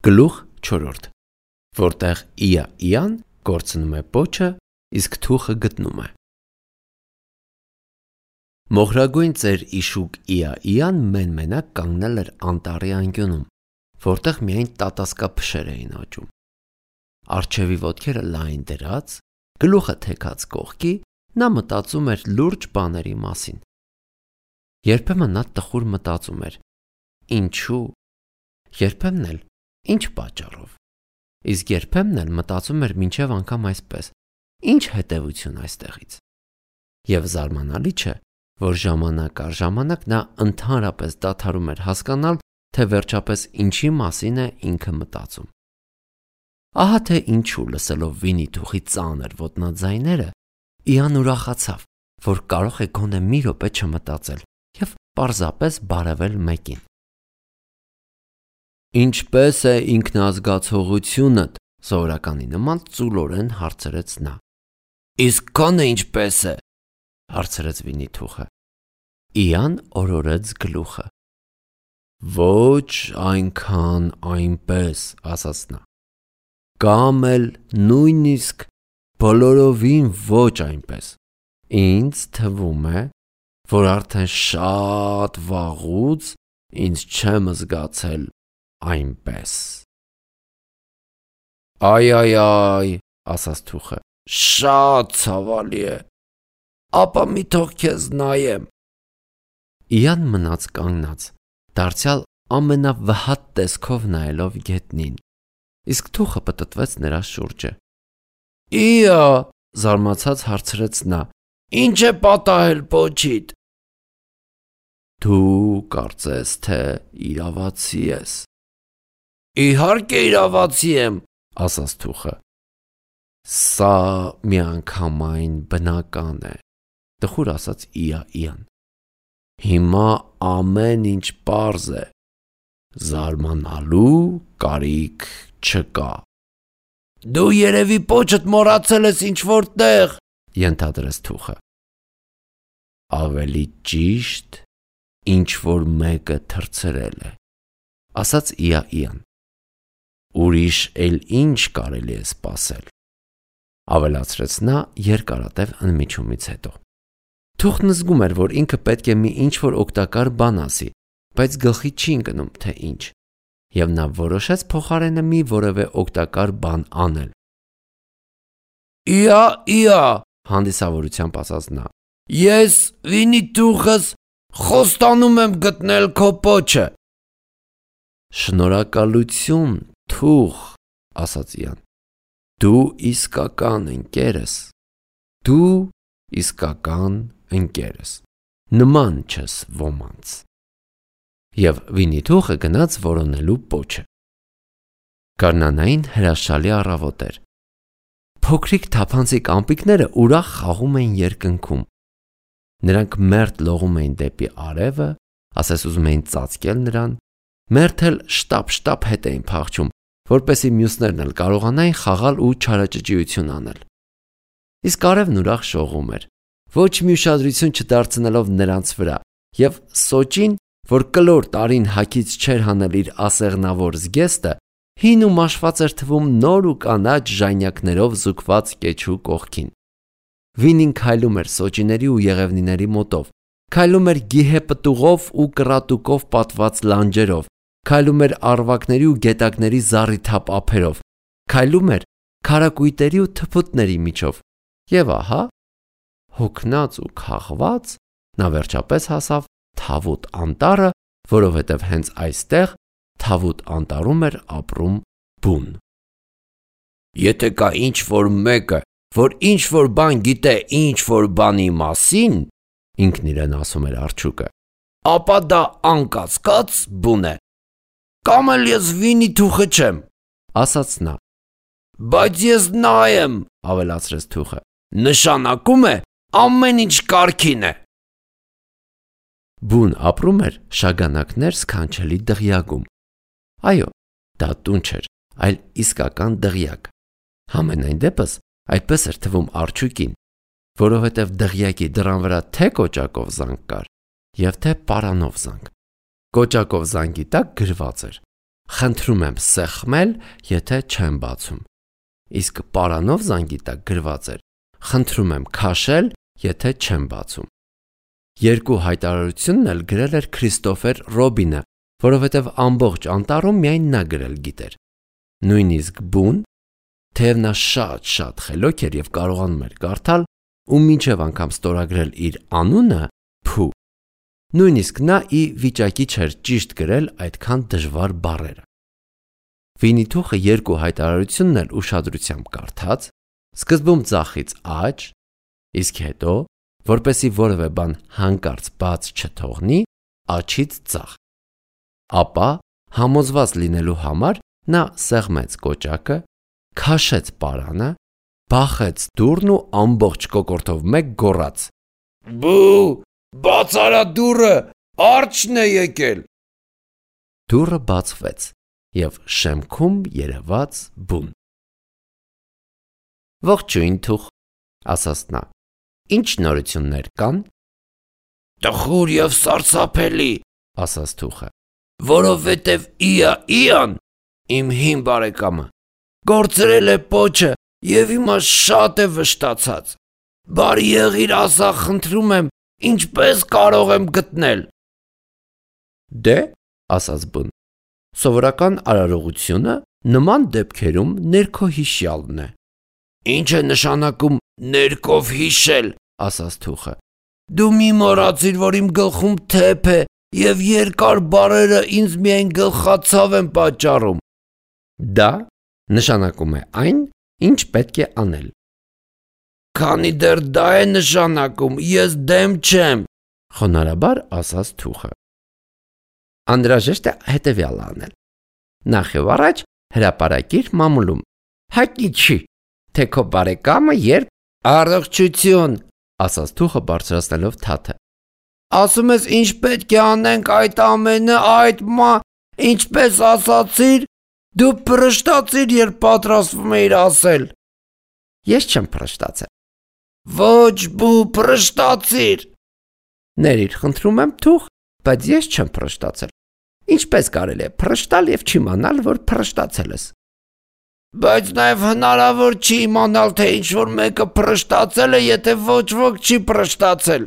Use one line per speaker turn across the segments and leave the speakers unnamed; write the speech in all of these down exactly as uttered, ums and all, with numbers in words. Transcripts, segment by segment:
Գլուխ չորրորդ, որտեղ իա իան կորցնում է պոչը, իսկ թուխը գտնում է։ Մոխրագույն ծեր իշուկ իա իան մեն-մենակ կանգնել էր անտառի անկյունում, որտեղ միայն տատասկափշեր էին աճում։ Առջևի ոտքերը լայն դրած, գլուխը թեքած կողքի, նա մտածում էր լուրջ բաների մասին։ Երբեմն նա տխուր մտածում էր. ինչու, երբեմն էլ ինչ պատճառով, իսկ երբեմն էլ մտածում էր մինչև անգամ այսպես. ինչ հետևություն այստեղից։ Եվ զարմանալի չէ, որ ժամանակ առ ժամանակ նա ընդհանրապես դադարում էր հասկանալ, թե վերջապես ինչի մասին է ինքը մտածում։ Ահա թե ինչու լսելով Վինի-Թուխի ծանր ոտնաձայները, Իան ուրախացավ, որ կարող է գոնե մի րոպե չմտածել և պարզապես բարևել մեկին։ Ինչպե՞ս է ինքնազգացողությունդ, սովորականի նման ծուլորեն հարցրեց նա։ Իսկ քոնը ինչպե՞ս է, հարցրեց Վինի-Թուխը։ Իան օրորեց գլուխը։ Ոչ այնքան այնպես, ասաց նա։ Կամ էլ նույնիսկ բոլորովին ոչ այնպես։ Ինձ թվում է, որ արդեն շատ վաղուց ինձ չեմ զգացել այնպես։ Այ այ այ, ասաց Թուխը, շատ ցավալի է։ Ապա մի թող քեզ նայեմ։ Իան մնաց կանգնած, դարձյալ ամենավհատ տեսքով նայելով գետնին, իսկ Թուխը պտտվեց նրա շուրջը։ Իա, զարմացած հարցրեց նա, ինչ է պատահել պոչիդ։ Դու կարծես թե իրավացի ես։ Իհարկե իրավացի եմ, ասաց Թուխը։ Սա միանգամայն բնական է, տխուր ասաց Իա Իան։ Հիմա ամեն ինչ պարզ է, զարմանալու կարիք չկա։ Դու երևի պոչդ մոռացել ես ինչ-որ տեղ, ենթադրեց Թուխը։ Ավելի ճիշտ, ինչ-որ մեկը թռցրել է, ասաց Իա Իան։ Ուրիշ էլ ինչ կարելի է սպասել, ավելացրեց նա երկարատև ընդմիջումից հետո։ Թուխն զգում էր, որ ինքը պետք է մի ինչ-որ օգտակար բան ասի, բայց գլխի չի ընկնում, թե ինչ, և նա որոշեց փոխարենը մի որևէ օգտակար բան անել։ Իա իա, հանդիսավորությամբ ասաց նա, ես Վինի-Թուխս խոստանում եմ գտնել քո պոչը։ Շնորհակալություն, Թուխ, ասաց Իան, դու իսկական ընկեր ես, դու իսկական ընկեր ես, նման չես ոմանց։ Եվ Վինի-Թուխը գնաց որոնելու պոչը։ Գարնանային հրաշալի առավոտ էր։ Փոքրիկ թափանցիկ ամպիկները ուրախ խաղում էին երկնքում։ Նրանք մերթ լողում էին դեպի արևը, ասես ուզում էին ծածկել նրան, մերթ էլ շտապ-շտապ հետ էին փախչում, որպեսզի մյուսներն էլ կարողանային խաղալ ու չարաճճիություն անել։ Իսկ արևն ուրախ շողում էր, ոչ մի ուշադրություն չդարձնելով նրանց վրա, և Սոճին, որ կլոր տարին հագից չէր հանել իր ասեղնավոր զգեստը, հին ու մաշված էր թվում նոր ու կանաչ ժանյակներով զուգված կեչու կողքին։ Վինին քայլում էր սոճիների ու եղևնիների մոտով, քայլում էր գիհե պտուղով ու կռատուկով պատված լանջերով, քայլում էր առվակների ու գետակների զառիթափ ափերով, քայլում էր քարակույտերի ու թփուտների միջով, և ահա, հոգնած ու քաղված, նա վերջապես հասավ Թավուտ անտառը, որովհետև հենց այստեղ Թավուտ անտառում էր ապրում բուն։ Եթե կա ինչ-որ մեկը, որ ինչ-որ բան գիտե ինչ-որ բանի մասին, ինքն իրեն ասում էր արջուկը, ապա դա անկասկած բուն է։ Կամ էլ ես Վինի-Թուխը չեմ, ասաց նա։ Բայց ես նա եմ, ավելացրեց Թուխը, նշանակում է ամեն ինչ կարգին է։ Բուն ապրում էր շագանակներ սքանչելի դղյակում։ Այո, դա տուն չէր, այլ իսկական դղյակ։ Համենայն դեպս այդպես էր թվում արջուկին, որովհետև դղյակի դռան վրա թե կոճակով զանգ կար, և թե պարանով զանգ։ Կոճակով զանգի տակ գրված էր. խնդրում եմ սեղմել, եթե չեմ բացում։ Իսկ պարանով զանգի տակ գրված էր. խնդրում եմ քաշել, եթե չեմ բացում։ Երկու հայտարարությունն էլ գրել էր Քրիստոֆեր Ռոբինը, որովհետև ամբողջ անտառում միայն նա գրել գիտեր։ Նույնիսկ բուն, թեև նա շատ-շատ խելոք էր և կարողանում էր կարդալ ու մինչև անգամ ստորագրել իր անունը Փու, նույնիսկ նա ի վիճակի չէր ճիշտ գրել այդքան դժվար բառերը։ Վինիթուխը երկու հայտարարությունն էլ ուշադրությամբ կարդաց, սկզբում ձախից աջ, իսկ հետո, որպեսզի որևէ բան հանկարծ բաց չթողնի, աջից ձախ։ Ապա, համոզված լինելու համար, նա սեղմեց կոճակը, քաշեց պարանը, բախեց դուռն ու ամբողջ կոկորդով մեկ գոռաց. «Բու, բաց արա դուռը, արջն է եկել»։ Դուռը բացվեց և շեմքում երևաց բուն։ «Ողջույն Թուխ», ասաց նա, «ինչ նորություններ կան»։ «Տխուր և սարսափելի», ասաց Թուխը, «որովհետև Իա Իան, իմ հին բարեկամը, կորցրել է պոչը և հիմա շատ է վշտացած։ Բարի եղիր ասա, խնդրում եմ, ինչպես կարող եմ գտնել»։ «Դե», ասաց բուն, «սովորական արարողությունը նման դեպքերում ներքոհիշյալն է»։ «Ինչ է նշանակում ներքով հիշել», ասաց Թուխը։ «Դու մի մոռացիր, որ իմ գլխում թեփ է և երկար բառերը ինձ միայն գլխացավ են պատճառում»։ «Դա նշանակում է այն, ինչ պետք է անել»։ «Քանի դեռ դա է նշանակում, ես դեմ չեմ», խոնարհաբար ասաց Թուխը։ «Անհրաժեշտ է հետևյալը անել. նախ և առաջ հրապարակիր մամուլում, հայտնի չի, թե քո բարեկամը երբ...» «Առողջություն», ասաց Թուխը բարձրացնելով թաթը։ «Ասում ես ինչ պետք է անենք այդ ամենը, այդ մա, ինչպես ասացիր, դու փռշտացիր, երբ պատրաստվում էիր ասել»։ «Ես չեմ փռշտացել»։ «Ոչ բու, փռշտացիր»։ «Ներիր, խնդրում եմ Թուխ, բայց ես չեմ փռշտացել։ Ինչպես կարելի է փռշտալ և չիմանալ, որ փռշտացել ես»։ «Բայց նաև հնարավոր չի իմանալ, թե ինչ-որ մեկը փռշտացել է, եթե ոչ ոք չի փռշտացել»։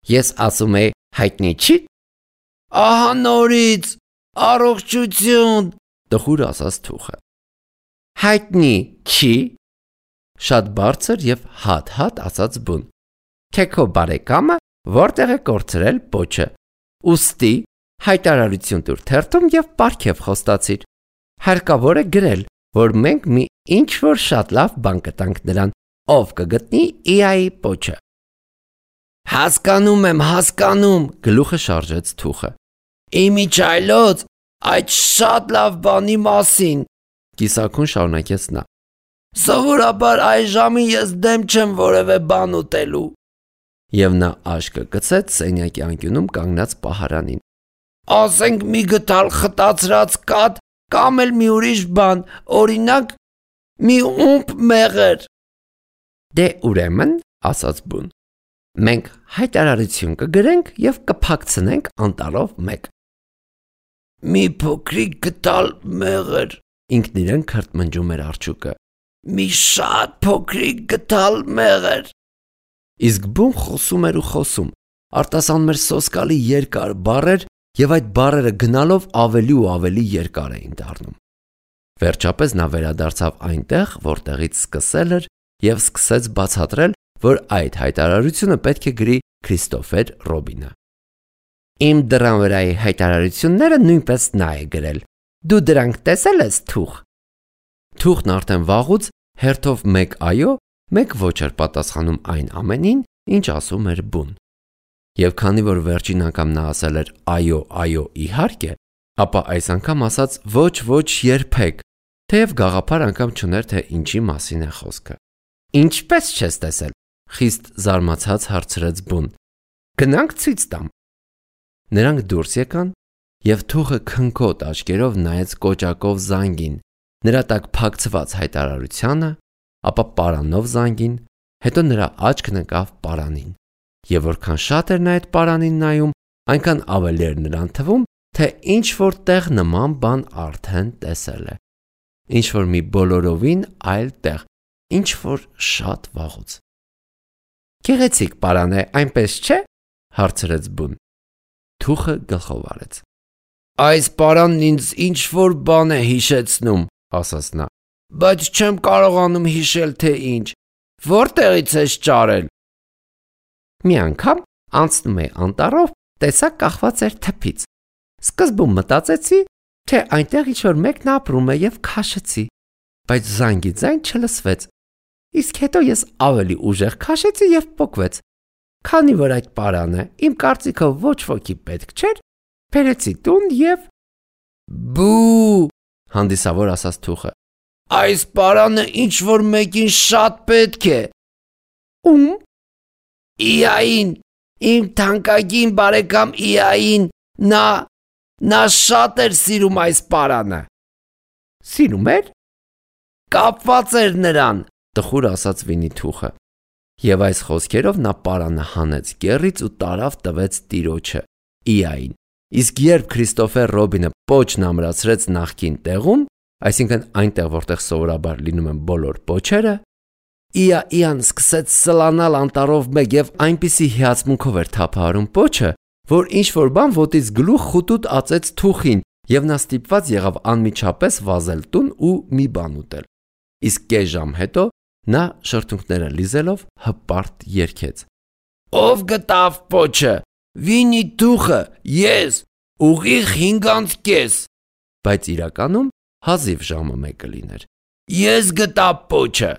«Ես ասում էի, հայտնի չի»։ «Ահա նորից, առողջություն», տխուր ասաց Թուխը։ «Հայտնի չի», շատ բարձր և հատ-հատ ասաց բուն, «թե քո բարեկամը որտեղ է կորցրել պոչը, ուստի հայտարարություն տուր թերթում և պարգև խոստացիր։ Հարկավոր է գրել, որ մենք մի ինչ-որ շատ լավ բան կտանք նրան, ով կգտնի Իայի պոչը»։ «Հասկանում եմ, հասկանում», գլուխը շարժեց Թուխը։ «Իմիջիայլոց, այդ շատ լավ բանի մասին», կիսաքուն շարունակեց նա։ «Սովորաբար այս ժամին ես դեմ չեմ որևէ բան ուտելու»։ Եվ նա աշկը գցեց սենյակի անկյունում կանգնած պահարանին։ «Ասենք մի գդալ խտացրած կաթ կամ էլ մի ուրիշ բան, օրինակ, մի ումպ մեղր»։ «Դե ուրեմն», ասաց բուն, «մենք հայտարարություն կգրենք և կփակցնենք անտառով մեկ»։ «Մի փոքրիկ գդալ մեղր», ինքն իրեն քրթմնջում էր արջուկը, «մի շատ փոքրիկ գդալ մեղր»։ Իսկ բուն խոսում էր ու խոսում, արտասանում էր սոսկալի երկար բառեր և այդ բառերը գնալով ավելի ու ավելի երկար էին դառնում։ Վերջապես նա վերադարձավ այնտեղ, որտեղից սկսել էր և սկսեց բացատրել, որ այդ հայտարարությունը պետք է գրի Քրիստոֆեր Ռոբինը։ «Իմ դռան վրայի հայտարարությունները նույնպես նա է գրել։ Դու դրանք տեսել ես, Թուխ»։ Թուխն արդեն վաղուց հերթով մեկ այո, մեկ ոչ էր պատասխանում այն ամենին, ինչ ասում էր բուն։ Եվ քանի որ վերջին անգամ նա ասել էր այո, այո, իհարկե, ապա այս անգամ ասաց ոչ, ոչ, երբեք, թեև գաղափար անգամ չուներ, թե ինչի մասին է խոսքը։ «Ինչպես չես տեսել», խիստ զարմացած հարցրեց բուն։ «Գնանք ցույց տամ»։ Նրանք դուրս եկան, և Թուխը քնքոտ աչքերով նայեց կոճակով զանգին, նրա տակ փակցված հայտարարությանը, ապա պարանով զանգին, հետո նրա աչքն ընկավ պարանին, և որքան շատ էր նա այդ պարանին նայում, այնքան ավելի էր նրան թվում, թե ինչ-որ տեղ նման բան արդեն տեսել է։ Ինչ-որ մի բոլորովին այլ տեղ, ինչ-որ շատ վաղուց։ Գեղեցիկ պարան է, այնպես չէ՞, հարցրեց բուն։ Թուխը գլխով արեց։ Այս պարանն ինձ ինչ-որ բան է հիշեցնում, ասաց նա, բայց չեմ կարողանում հիշել, թե ինչ, որտեղից ես ճարել։ Մի անգամ անցնում էի անտառով, տեսա կախված էր թփից։ Սկզբում մտածեցի, թե այնտեղ ինչ-որ մեկն ապրում է և քաշեցի, բայց զանգի ձայն չլսվեց։ Իսկ հետո ես ավելի ուժեղ քաշեցի և պոկվեց։ Քանի որ այդ պարան է, իմ կարծիքով ոչ ոքի պետք չէր, բերեցի տուն և… Բու, հանդիսավոր ասաց թուխը։ Այս պարանը ինչ-որ մեկին շատ պետք է։ Ում։ Իային, իմ թանկագին բարեկամ Իային, նա… նա շատ էր սիրում այս պարանը։ Սիրում էր։ Կապված էր նրան, տխուր ասաց Վինի-Թուխը։ Եվ այս խոսքերով նա պարանը հանեց կեռից ու տարավ տվեց տիրոջը՝ Իային։ Իսկ երբ Քրիստոֆեր Ռոբինը պոչն ամրացրեց նախկին տեղում, այսինքն այնտեղ, որտեղ սովորաբար լինում են բոլոր պոչերը, Իային սկսեց սլանալ անտառով մեկ և այնպիսի հիացմունքով էր թափահարում պոչը, որ ինչ-որ բան ոտից գլուխ խուտուտ ածեց թուխին, և նա ստիպված եղավ անմիջապես վազել տուն ու մի բան ուտել։ Իսկ կես ժամ հետո նա շրթունքները լիզելով հպարտ երգեց. Ով գտավ պոչը, Վինի-Թուխը, ես, ուղիղ հինգ անց կես։ Բայց իրականում հազիվ ժամը մեկը լիներ։ Ես գտա պոչը։